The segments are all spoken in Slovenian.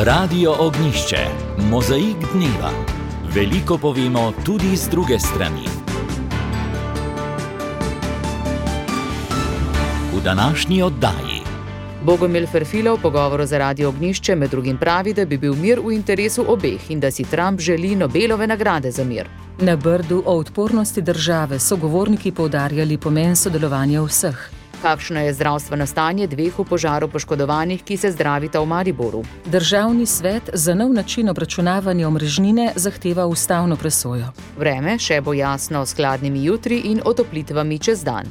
Radio Ognjišče, mozaik dneva. Veliko povemo tudi z druge strani. V današnji oddaji Bogomil Ferfila v pogovoru za Radio Ognjišče med drugim pravi, da bi bil mir v interesu obeh in da si Trump želi Nobelove nagrade za mir. Na Brdu o odpornosti države so govorniki poudarjali pomen sodelovanja vseh. Kakšno je zdravstveno stanje dveh v požaru poškodovanih, ki se zdravita v Mariboru? Državni svet za nov način obračunavanja omrežnine zahteva ustavno presojo. Vreme še bo jasno s hladnimi jutri in otoplitvami čez dan.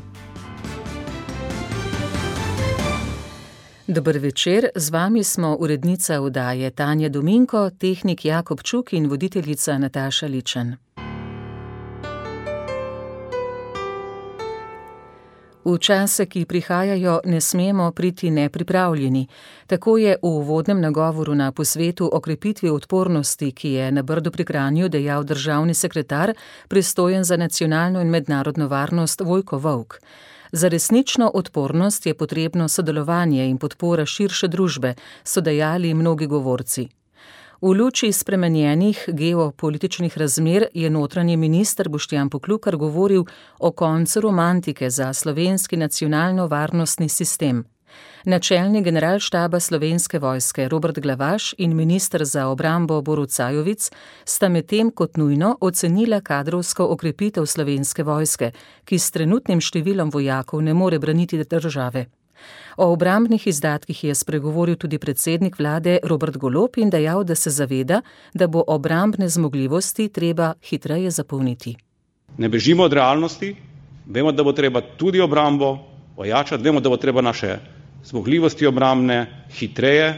Dober večer, z vami smo urednica oddaje Tanja Dominko, tehnik Jakob Čuk in voditeljica Nataša Ličen. V čase, ki prihajajo, ne smemo priti nepripravljeni. Tako je v uvodnem nagovoru na posvetu o krepitvi odpornosti, ki je na Brdu pri Kranju dejal državni sekretar, pristojen za nacionalno in mednarodno varnost Vojko Volk. Za resnično odpornost je potrebno sodelovanje in podpora širše družbe, so dejali mnogi govorci. V luči spremenjenih geopolitičnih razmer je notranji minister Boštjan Poklukar govoril o koncu romantike za slovenski nacionalno-varnostni sistem. Načelnik generalštaba Slovenske vojske Robert Glavaš in minister za obrambo Borut Sajovic sta medtem kot nujno ocenila kadrovsko okrepitev Slovenske vojske, ki s trenutnim številom vojakov ne more braniti države. O obrambnih izdatkih je spregovoril tudi predsednik vlade Robert Golob in dejal, da se zaveda, da bo obrambne zmogljivosti treba hitreje zapolniti. Ne bežimo od realnosti, vemo, da bo treba tudi obrambo ojačati, vemo, da bo treba naše zmogljivosti obrambne hitreje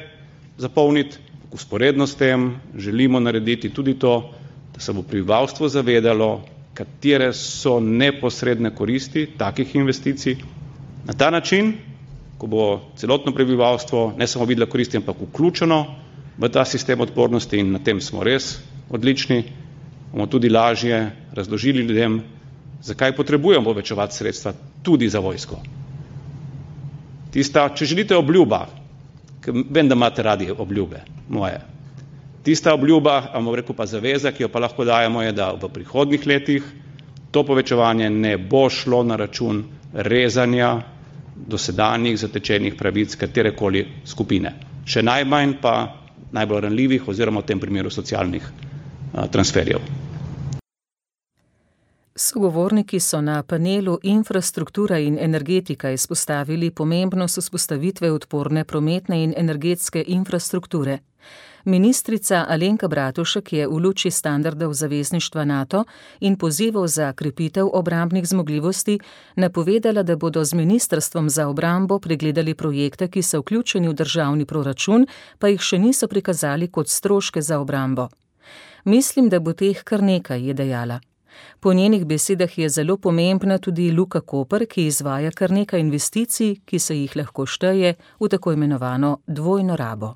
zapolniti. Vzporedno s tem želimo narediti tudi to, da se bo prebivalstvo zavedalo, katere so neposredne koristi takih investicij. Na ta način, ko bo celotno prebivalstvo ne samo videlo koristi, ampak vključeno v ta sistem odpornosti, in na tem smo res odlični, bomo tudi lažje razložili ljudem, zakaj potrebujemo povečevati sredstva tudi za vojsko. Tista, če želite, obljuba, vem, da imate radi obljube moje. Tista obljuba, pa zaveza, ki jo pa lahko dajemo, je, da v prihodnjih letih to povečevanje ne bo šlo na račun rezanja dosedanjih zatečenih pravic katerekoli skupine. Še najmanj pa najbolj ranljivih oziroma v tem primeru socialnih transferjev. Sogovorniki so na panelu Infrastruktura in energetika izpostavili pomembnost vzpostavitve odporne prometne in energetske infrastrukture. Ministrica Alenka Bratušek je v luči standardov zavezništva NATO in pozivov za krepitev obrambnih zmogljivosti napovedala, da bodo z ministrstvom za obrambo pregledali projekte, ki so vključeni v državni proračun, pa jih še niso prikazali kot stroške za obrambo. Mislim, da bo teh kar nekaj, je dejala. Po njenih besedah je zelo pomembna tudi Luka Koper, ki izvaja kar nekaj investicij, ki se jih lahko šteje v tako imenovano dvojno rabo.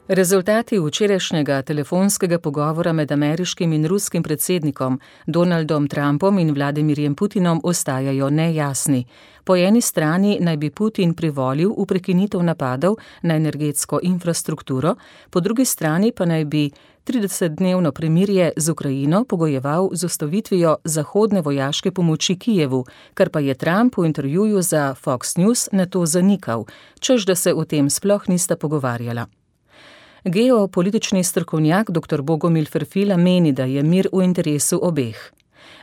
Rezultati včerajšnjega telefonskega pogovora med ameriškim in ruskim predsednikom Donaldom Trumpom in Vladimirjem Putinom ostajajo nejasni. Po eni strani naj bi Putin privolil v prekinitev napadov na energetsko infrastrukturo, po drugi strani pa naj bi 30-dnevno premirje z Ukrajino pogojeval z ustavitvijo zahodne vojaške pomoči Kijevu, kar pa je Trump v intervjuju za Fox News nato zanikal, češ da se o tem sploh nista pogovarjala. Geopolitični strokovnjak dr. Bogomil Ferfila meni, da je mir v interesu obeh.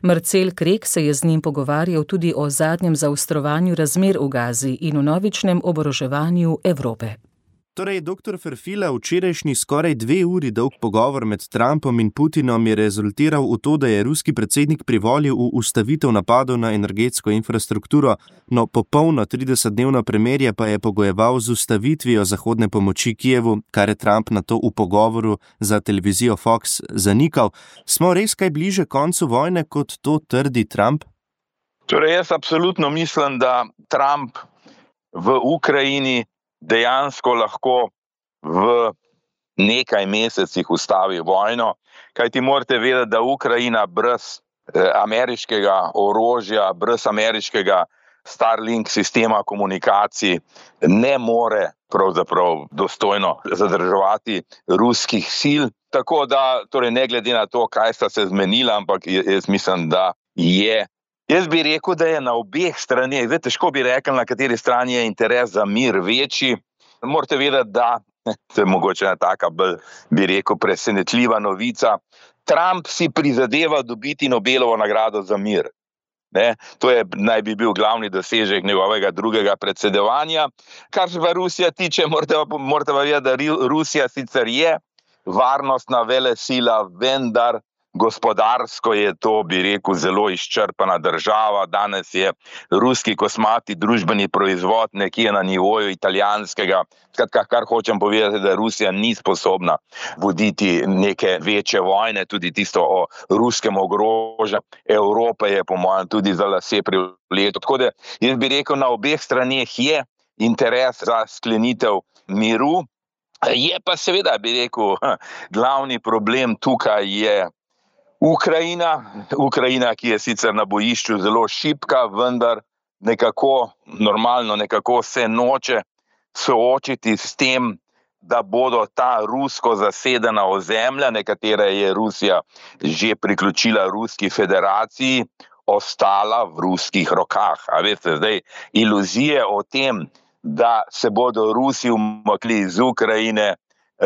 Marcel Krek se je z njim pogovarjal tudi o zadnjem zaostrovanju razmer v Gazi in o novičnem oboroževanju Evrope. Torej, dr. Ferfila, včerajšnji skoraj 2 uri dolg pogovor med Trumpom in Putinom je rezultiral v to, da je ruski predsednik privolil v ustavitev napadov na energetsko infrastrukturo, no popolno 30-dnevno premirje pa je pogojeval z ustavitvijo zahodne pomoči Kijevu, kar je Trump nato v pogovoru za televizijo Fox zanikal. Smo res kaj bliže koncu vojne, kot to trdi Trump? Torej, jaz absolutno mislim, da Trump v Ukrajini dejansko lahko v nekaj mesecih ustavi vojno, kajti morate vedeti, da Ukrajina brez ameriškega orožja, brez ameriškega Starlink sistema komunikacij ne more pravzaprav dostojno zadrževati ruskih sil. Tako da, torej ne glede na to, kaj sta se zmenila, ampak jaz mislim, da je. Jaz bi rekel, da je na obeh straneh, zdaj težko bi rekel, na kateri strani je interes za mir večji. Morate vedeti, da, to je mogoče ena taka bolj, bi rekel, presenetljiva novica, Trump si prizadeva dobiti Nobelovo nagrado za mir. Ne, to naj bi bil glavni dosežek njegovega drugega predsedovanja. Kar se pa Rusija tiče, morate pa vedeti, da Rusija sicer je varnostna velesila, vendar gospodarsko je to, bi rekel, zelo izčrpana država. Danes je ruski kosmati družbeni proizvod nekje na nivoju italijanskega. Skratka, kar hočem povedati, da Rusija ni sposobna voditi neke večje vojne, tudi tisto o ruskem ogrožanju Evrope je po mojem tudi za lase privleto. Tako da jaz bi rekel, na obeh straneh je interes za sklenitev miru. Je pa seveda, bi rekel, glavni problem tukaj je Ukrajina, ki je sicer na bojišču zelo šibka, vendar nekako se noče soočiti s tem, da bodo ta rusko zasedena ozemlja, nekatere je Rusija že priključila Ruski federaciji, ostala v ruskih rokah. A veste, zdaj iluzije o tem, da se bodo Rusi umaknili iz Ukrajine,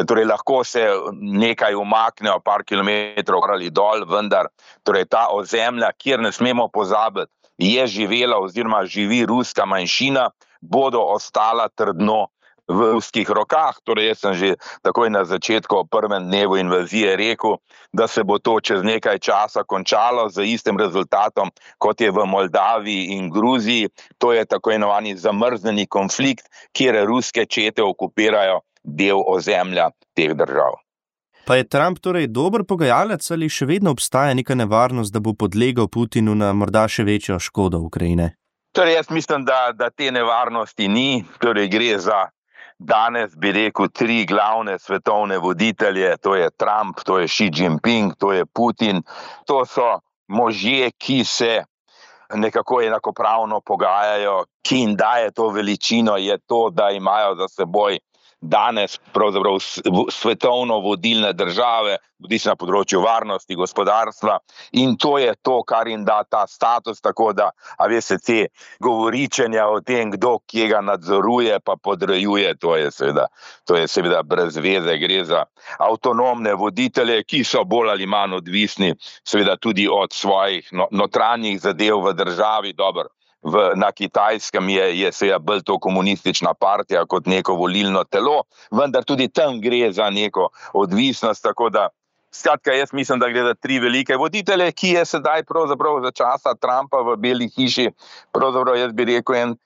torej lahko se nekaj umaknejo, par kilometrov ali dol, vendar torej ta ozemlja, kjer ne smemo pozabiti, je živela oziroma živi ruska manjšina, bodo ostala trdno v ruskih rokah. Torej jaz sem že takoj na začetku prvem dnevu invazije rekel, da se bo to čez nekaj časa končalo z istim rezultatom, kot je v Moldaviji in Gruziji. To je tako imenovani zamrznjeni konflikt, kjer ruske čete okupirajo del ozemlja teh držav. Pa je Trump torej dober pogajalec ali še vedno obstaja neka nevarnost, da bo podlegel Putinu na morda še večjo škodo Ukrajine? Torej jaz mislim, da te nevarnosti ni. Torej gre za danes, bi rekel, 3 glavne svetovne voditelje, to je Trump, to je Xi Jinping, to je Putin. To so možje, ki se nekako enakopravno pogajajo, ki jim daje to veličino, je to, da imajo za seboj danes pravzaprav svetovno vodilne države, bodisi na področju varnosti, gospodarstva, in to je to, kar jim da ta status, tako da, a veste, te govoričenja o tem, kdo kje ga nadzoruje pa podrejuje, to je seveda brez veze. Gre za avtonomne voditelje, ki so bolj ali manj odvisni seveda tudi od svojih notranjih zadev v državi. Dobro, na Kitajskem je seveda bolj to komunistična partija kot neko volilno telo, vendar tudi tam gre za neko odvisnost, tako da skratka, jaz mislim, da gre za 3 velike voditelje, ki je sedaj pravzaprav za časa Trumpa v Beli hiši, pravzaprav jaz bi rekel en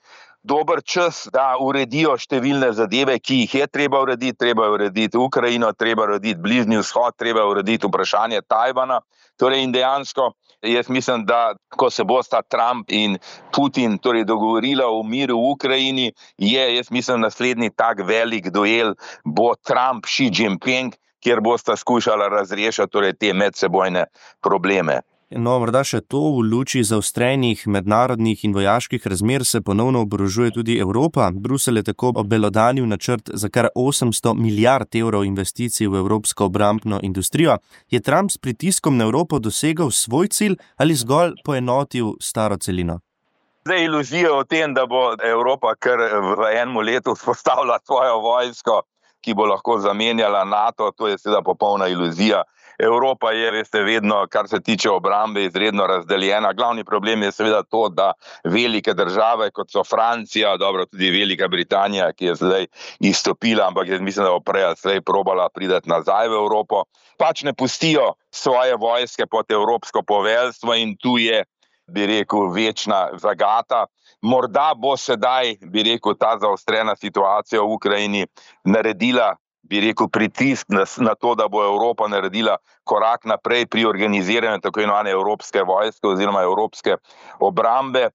dober čas, da uredijo številne zadeve, ki jih je treba urediti Ukrajino, treba urediti Bližnji vzhod, treba urediti vprašanje Tajvana. Torej in dejansko jaz mislim, da ko se bosta Trump in Putin torej dogovorila o miru v Ukrajini, jaz mislim, naslednji tak velik duel bo Trump-Xi Jinping, kjer bosta skušala razrešiti torej te medsebojne probleme. No, morda še to, v luči zaostrenih mednarodnih in vojaških razmer se ponovno oborožuje tudi Evropa. Bruselj je tako obelodanil načrt za kar 800 milijard evrov investicij v evropsko obrambno industrijo. Je Trump s pritiskom na Evropo dosegel svoj cilj ali zgolj poenotil staro celino? Zdaj iluzija o tem, da bo Evropa kar v enem letu vzpostavila svojo vojsko, ki bo lahko zamenjala NATO, to je seveda popolna iluzija. Evropa je, veste, vedno, kar se tiče obrambe, izredno razdeljena. Glavni problem je seveda to, da velike države, kot so Francija, dobro, tudi Velika Britanija, ki je zdaj izstopila, ampak jaz mislim, da bo prej ali slej probala priti nazaj v Evropo, pač ne pustijo svoje vojske pod evropsko poveljstvo in tu je, bi rekel, večna zagata. Morda bo sedaj, bi rekel, ta zaostrena situacija v Ukrajini naredila, bi rekel, pritisk na to, da bo Evropa naredila korak naprej pri organiziranju tako imenovane evropske vojske oziroma evropske obrambe.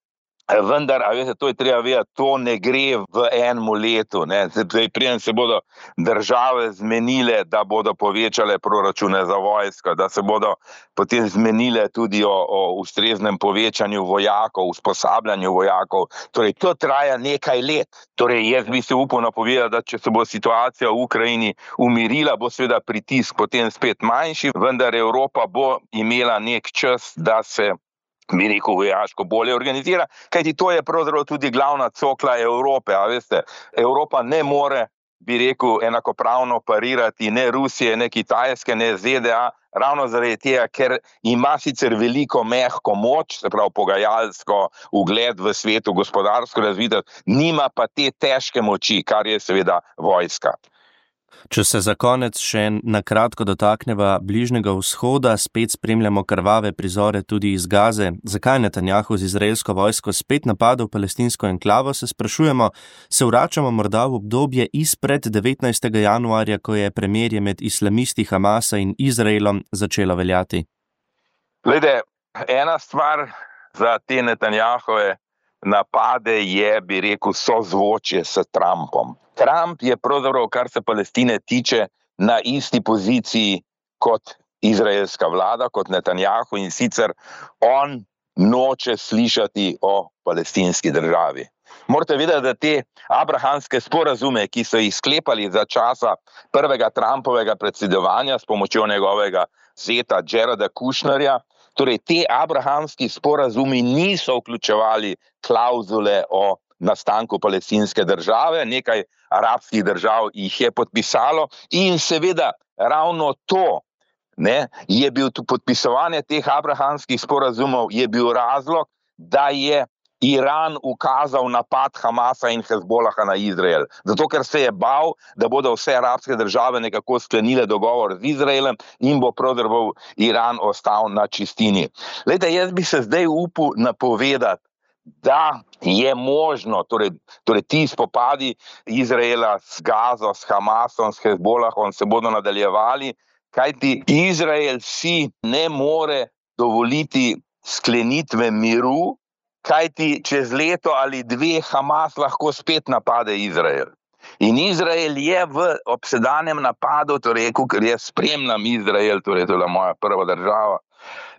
Vendar, a veste, to je treba vedeti, to ne gre v enem letu, ne. Zdaj, preden se bodo države zmenile, da bodo povečale proračune za vojsko, da se bodo potem zmenile tudi o ustreznem povečanju vojakov, usposabljanju vojakov. Torej, to traja nekaj let. Torej, jaz bi se upal napovedati, da če se bo situacija v Ukrajini umirila, bo seveda pritisk potem spet manjši, vendar Evropa bo imela nek čas, da se bi rekel, vojaško bolje organizira, kajti to je pravzaprav tudi glavna cokla Evrope, a veste, Evropa ne more, bi rekel, enakopravno parirati ne Rusije, ne Kitajske, ne ZDA, ravno zaradi tega, ker ima sicer veliko mehko moč, se pravi pogajalsko, ugled v svetu, gospodarsko razvitost, nima pa te težke moči, kar je seveda vojska. Če se za konec še na kratko dotakneva Bližnjega vzhoda, spet spremljamo krvave prizore tudi iz Gaze. Zakaj Netanjahu z izraelsko vojsko spet napadel palestinsko enklavo, se sprašujemo, se vračamo morda v obdobje izpred 19. januarja, ko je premirje med islamisti Hamasa in Izraelom začelo veljati? Glede, ena stvar za te Netanjahove napade je, bi rekel, sozvočje s Trumpom. Trump je pravzaprav, kar se Palestine tiče, na isti poziciji kot izraelska vlada, kot Netanjahu, in sicer on noče slišati o palestinski državi. Morate vedeti, da te abrahamske sporazume, ki so jih sklepali za časa prvega Trumpovega predsedovanja s pomočjo njegovega zeta Jareda Kushnerja, torej te abrahamski sporazumi niso vključevali klauzule o nastanku palestinske države, nekaj arabskih držav jih je podpisalo in seveda ravno to, ne, je bil podpisovanje teh abrahamskih sporazumov je bil razlog, da je Iran ukazal napad Hamasa in Hezbolaha na Izrael. Zato, ker se je bal, da bodo vse arabske države nekako sklenile dogovor z Izraelem in bo pravzaprav Iran ostal na čistini. Glejte, jaz bi se zdaj upal napovedati, da je možno, torej ti spopadi Izraela s Gazo, s Hamasom, s Hezbolahom se bodo nadaljevali, kajti Izrael si ne more dovoliti sklenitve miru, kajti čez leto ali dve Hamas lahko spet napade Izrael. In Izrael je v obsedanjem napadu, torej, ker jaz spremljam Izrael, torej to je moja prva država,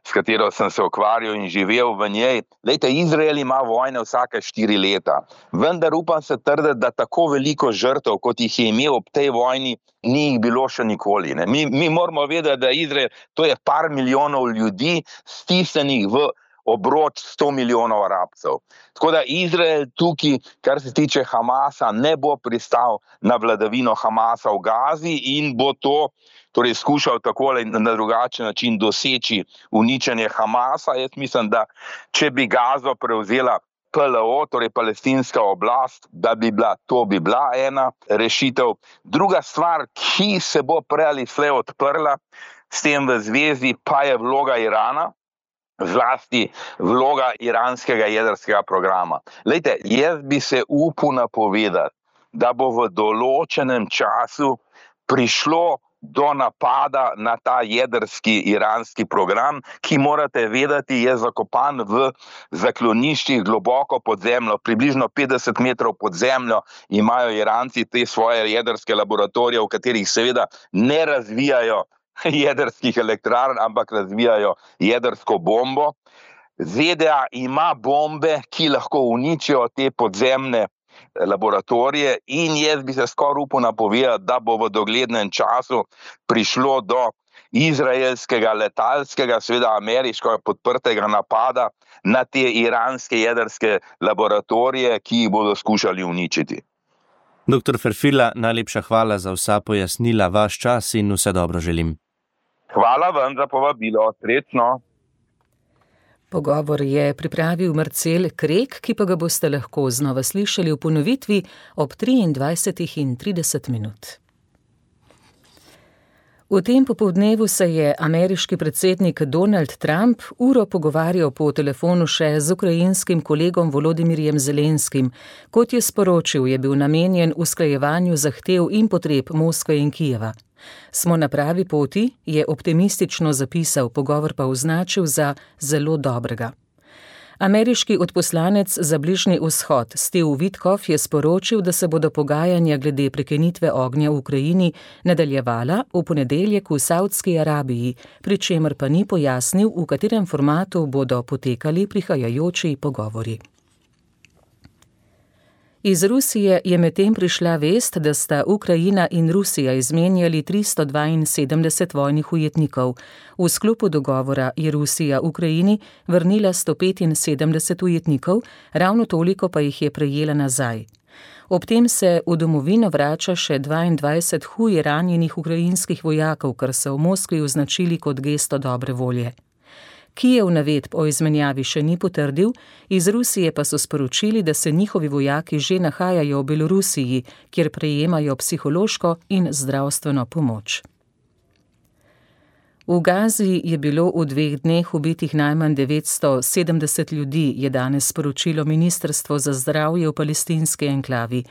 s katero sem se ukvarjal in živel v njej. Lejte, Izrael ima vojne vsake 4 leta, vendar upam se trditi, da tako veliko žrtev, kot jih je imel ob tej vojni, ni jih bilo še nikoli. Ne? Mi moramo vedeti, da Izrael, to je par milijonov ljudi, stisnenih v obroč 100 milijonov Arabcev. Tako da Izrael tukaj, kar se tiče Hamasa, ne bo pristal na vladavino Hamasa v Gazi in bo to torej skušal tako ali na drugačen način doseči uničenje Hamasa. Jaz mislim, da če bi Gazo prevzela PLO, torej palestinska oblast, da bi bila ena rešitev. Druga stvar, ki se bo prej ali slej odprla s tem v zvezi, pa je vloga Irana, zlasti vloga iranskega jedrskega programa. Lejte, jaz bi se upal napovedati, da bo v določenem času prišlo do napada na ta jedrski iranski program, ki morate vedeti, je zakopan v zakloniščih globoko pod zemljo, približno 50 metrov pod zemljo imajo Iranci te svoje jedrske laboratorije, v katerih seveda ne razvijajo jedrskih elektrarn, ampak razvijajo jedrsko bombo. ZDA ima bombe, ki lahko uničijo te podzemne laboratorije in jaz bi se skoraj upal napovedati, da bo v doglednem času prišlo do izraelskega letalskega, seveda ameriško podprtega napada na te iranske jedrske laboratorije, ki jih bodo skušali uničiti. Dr. Ferfila, najlepša hvala za vsa pojasnila, vaš čas in vse dobro želim. Hvala vam za povabilo, srečno. Pogovor je pripravil Marcel Krek, ki pa ga boste lahko znova slišali v ponovitvi ob 23:30. V tem popoldnevu se je ameriški predsednik Donald Trump uro pogovarjal po telefonu še z ukrajinskim kolegom Volodimirjem Zelenskim. Kot je sporočil, je bil namenjen usklajevanju zahtev in potreb Moskve in Kijeva. Smo na pravi poti, je optimistično zapisal, pogovor pa označil za zelo dobrega. Ameriški odposlanec za Bližnji vzhod Steve Witkoff je sporočil, da se bodo pogajanja glede prekinitve ognja v Ukrajini nadaljevala v ponedeljek v Savdski Arabiji, pri čemer pa ni pojasnil, v katerem formatu bodo potekali prihajajoči pogovori. Iz Rusije je medtem prišla vest, da sta Ukrajina in Rusija izmenjali 372 vojnih ujetnikov. V sklopu dogovora je Rusija Ukrajini vrnila 175 ujetnikov, ravno toliko pa jih je prejela nazaj. Ob tem se v domovino vrača še 22 huje ranjenih ukrajinskih vojakov, kar so v Moskvi označili kot gesto dobre volje. Kijev navedb o izmenjavi še ni potrdil, iz Rusije pa so sporočili, da se njihovi vojaki že nahajajo v Belorusiji, kjer prejemajo psihološko in zdravstveno pomoč. V Gazi je bilo v 2 dneh ubitih najmanj 970 ljudi, je danes sporočilo Ministrstvo za zdravje v palestinski enklavi.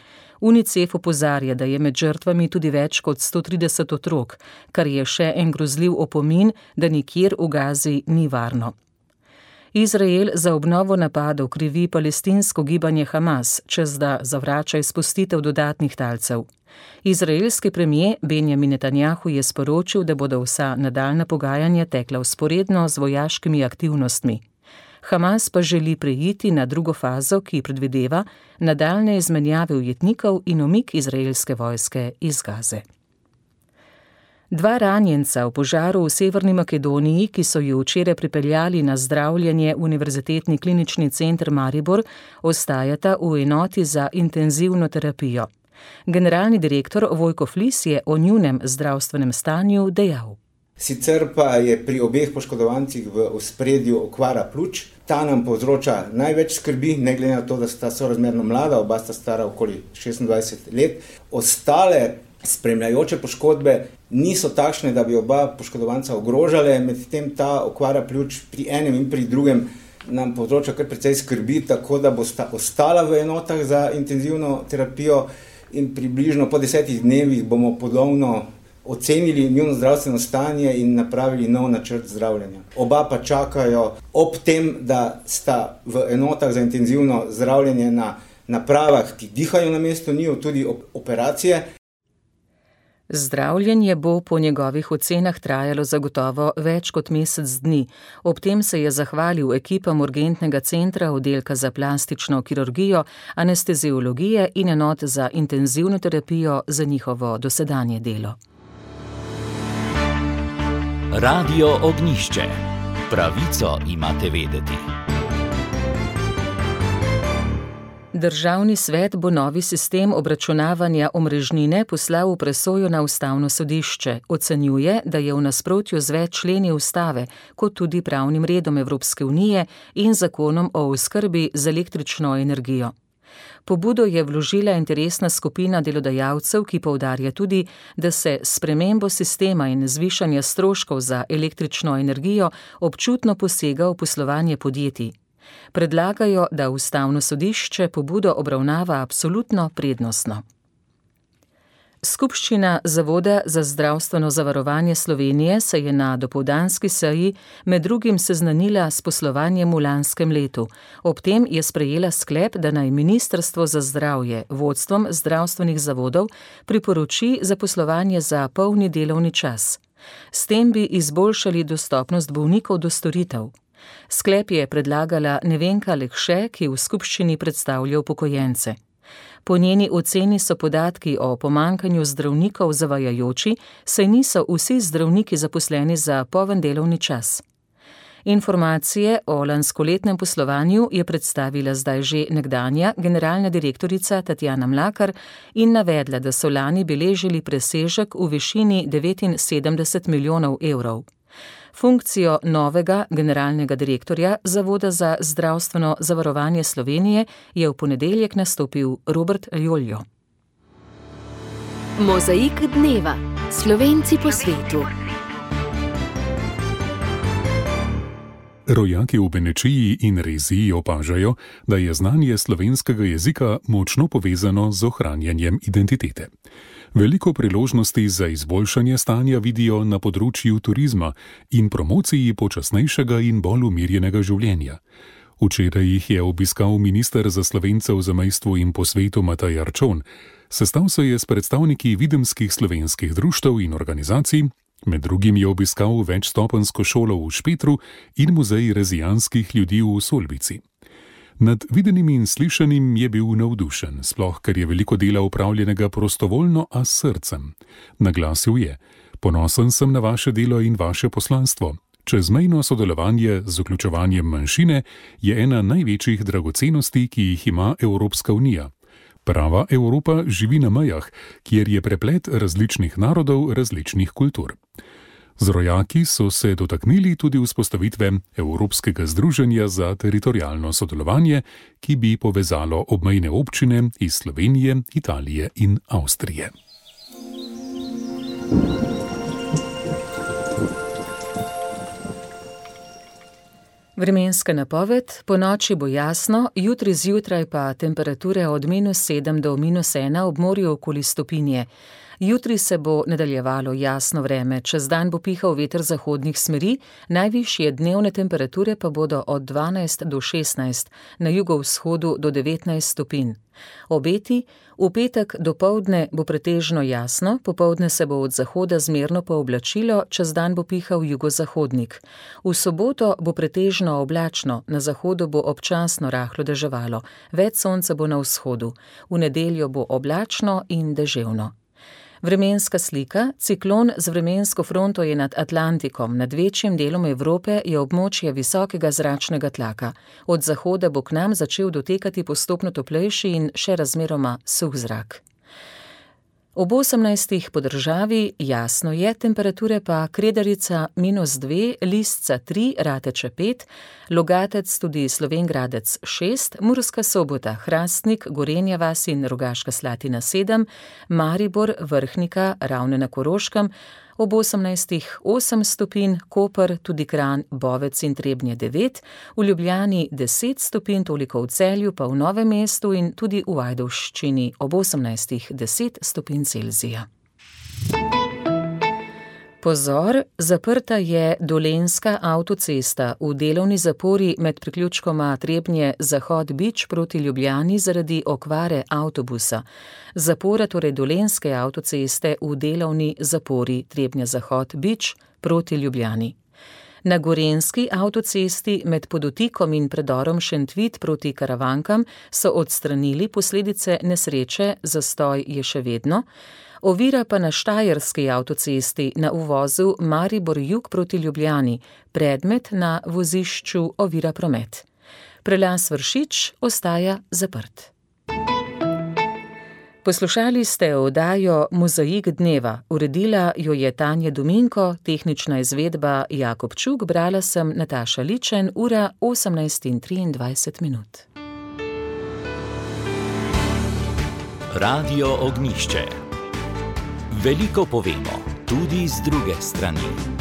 UNICEF opozarja, da je med žrtvami tudi več kot 130 otrok, kar je še en grozljiv opomin, da nikjer v Gazi ni varno. Izrael za obnovo napadov krivi palestinsko gibanje Hamas, čez da zavrača izpustitev dodatnih talcev. Izraelski premier Benjamin Netanjahu je sporočil, da bodo vsa nadaljnja pogajanja tekla vzporedno z vojaškimi aktivnostmi. Hamas pa želi preiti na drugo fazo, ki predvideva nadaljne izmenjave ujetnikov in umik izraelske vojske iz Gaze. 2 ranjenca v požaru v Severni Makedoniji, ki so ju včeraj pripeljali na zdravljenje v Univerzitetni klinični center Maribor, ostajata v enoti za intenzivno terapijo. Generalni direktor Vojko Flis je o njunem zdravstvenem stanju dejal. Sicer pa je pri obeh poškodovancih v ospredju okvara pljuč. Ta nam povzroča največ skrbi, ne glede na to, da sta sorazmerno mlada, oba sta stara okoli 26 let. Ostale spremljajoče poškodbe niso takšne, da bi oba poškodovanca ogrožale, medtem ta okvara pljuč pri enem in pri drugem nam povzroča kar precej skrbi, tako da bosta ostala v enotah za intenzivno terapijo in približno po 10 dnevih bomo ponovno ocenili njuno zdravstveno stanje in napravili nov načrt zdravljenja. Oba pa čakajo ob tem, da sta v enotah za intenzivno zdravljenje na napravah, ki dihajo na mesto njiju, tudi operacije. Zdravljenje bo po njegovih ocenah trajalo zagotovo več kot mesec dni. Ob tem se je zahvalil ekipam urgentnega centra, oddelka za plastično kirurgijo, anesteziologije in enot za intenzivno terapijo za njihovo dosedanje delo. Radio Ognjišče. Pravico imate vedeti. Državni svet bo novi sistem obračunavanja omrežnine poslal v presojo na Ustavno sodišče. Ocenjuje, da je v nasprotju z več členi ustave, kot tudi pravnim redom Evropske unije in zakonom o oskrbi z električno energijo. Pobudo je vložila interesna skupina delodajalcev, ki poudarja tudi, da se s spremembo sistema in zvišanja stroškov za električno energijo občutno posega v poslovanje podjetij. Predlagajo, da Ustavno sodišče pobudo obravnava absolutno prednostno. Skupščina Zavoda za zdravstveno zavarovanje Slovenije se je na dopoldanski seji med drugim seznanila s poslovanjem v lanskem letu. Ob tem je sprejela sklep, da naj Ministrstvo za zdravje vodstvom zdravstvenih zavodov priporoči zaposlovanje za polni delovni čas. S tem bi izboljšali dostopnost bolnikov do storitev. Sklep je predlagala Nevenka Lekše, ki v skupščini predstavlja upokojence. Po njeni oceni so podatki o pomanjkanju zdravnikov zavajajoči, saj niso vsi zdravniki zaposleni za poln delovni čas. Informacije o lanskoletnem poslovanju je predstavila zdaj že nekdanja generalna direktorica Tatjana Mlakar in navedla, da so lani beležili presežek v višini 79 milijonov evrov. Funkcijo novega generalnega direktorja Zavoda za zdravstveno zavarovanje Slovenije je v ponedeljek nastopil Robert Joljo. Mozaik dneva. Slovenci po svetu. Rojaki v Benečiji in Reziji opažajo, da je znanje slovenskega jezika močno povezano z ohranjanjem identitete. Veliko priložnosti za izboljšanje stanja vidijo na področju turizma in promociji počasnejšega in bolj umirjenega življenja. Včeraj jih je obiskal minister za Slovence v zamejstvu in po svetu Matej Arčon. Sestal se je s predstavniki videmskih slovenskih društev in organizacij, med drugim je obiskal večstopenjsko šolo v Špetru in muzej rezijanskih ljudi v Solbici. Nad videnim in slišanim je bil navdušen, sploh ker je veliko dela upravljenega prostovoljno, a s srcem. Naglasil je: "Ponosen sem na vaše delo in vaše poslanstvo. Čezmejno sodelovanje z vključevanjem manjšine je ena največjih dragocenosti, ki jih ima Evropska unija. Prava Evropa živi na mejah, kjer je preplet različnih narodov, različnih kultur." Z rojaki so se dotaknili tudi vzpostavitve Evropskega združenja za teritorialno sodelovanje, ki bi povezalo obmejne občine iz Slovenije, Italije in Avstrije. Vremenska napoved: ponoči bo jasno, jutri zjutraj pa temperature od -7 do -1 ob morju okoli stopinje. Jutri se bo nadaljevalo jasno vreme, čez dan bo pihal veter zahodnih smeri, najvišje dnevne temperature pa bodo od 12 do 16, na jugovzhodu do 19 stopinj. Obeti: v petek dopoldne bo pretežno jasno, popoldne se bo od zahoda zmerno pooblačilo, čez dan bo pihal jugozahodnik. V soboto bo pretežno oblačno, na zahodu bo občasno rahlo deževalo, več sonca bo na vzhodu. V nedeljo bo oblačno in deževno. Vremenska slika: ciklon z vremensko fronto je nad Atlantikom, nad večjim delom Evrope je območje visokega zračnega tlaka. Od zahoda bo k nam začel dotekati postopno toplejši in še razmeroma suh zrak. Ob 18 po državi jasno je, temperature pa Kredarica -2, Listca 3, Rateče 5, Logatec tudi Slovenj Gradec 6, Murska Sobota, Hrastnik, Gorenja vas in Rogaška Slatina 7, Maribor, Vrhnika, Ravne na Koroškem, ob 18 8 stopinj, Koper, tudi Kranj, Bovec in Trebnje 9, v Ljubljani 10 stopinj, toliko v Celju, pa v Novem mestu in tudi v Ajdovščini ob 18 10 stopinj Celzija. Pozor, zaprta je Dolenjska avtocesta v delovni zapori med priključkoma Trebnje-Zahod-Bič proti Ljubljani zaradi okvare avtobusa. Zapora torej Dolenjske avtoceste v delovni zapori Trebnje-Zahod-Bič proti Ljubljani. Na Gorenjski avtocesti med Podotikom in predorom Šentvid proti Karavankam so odstranili posledice nesreče, zastoj je še vedno. Ovira pa na Štajerski avtocesti na uvozu Maribor-Jug proti Ljubljani, predmet na vozišču ovira promet. Prelaz Vršič ostaja zaprt. Poslušali ste oddajo Mozaik dneva, uredila jo je Tanja Dominko, tehnična izvedba Jakob Čuk, brala sem Nataša Ličen, ura 18:23. Radio Ognjišče. Veliko povemo, tudi z druge strani.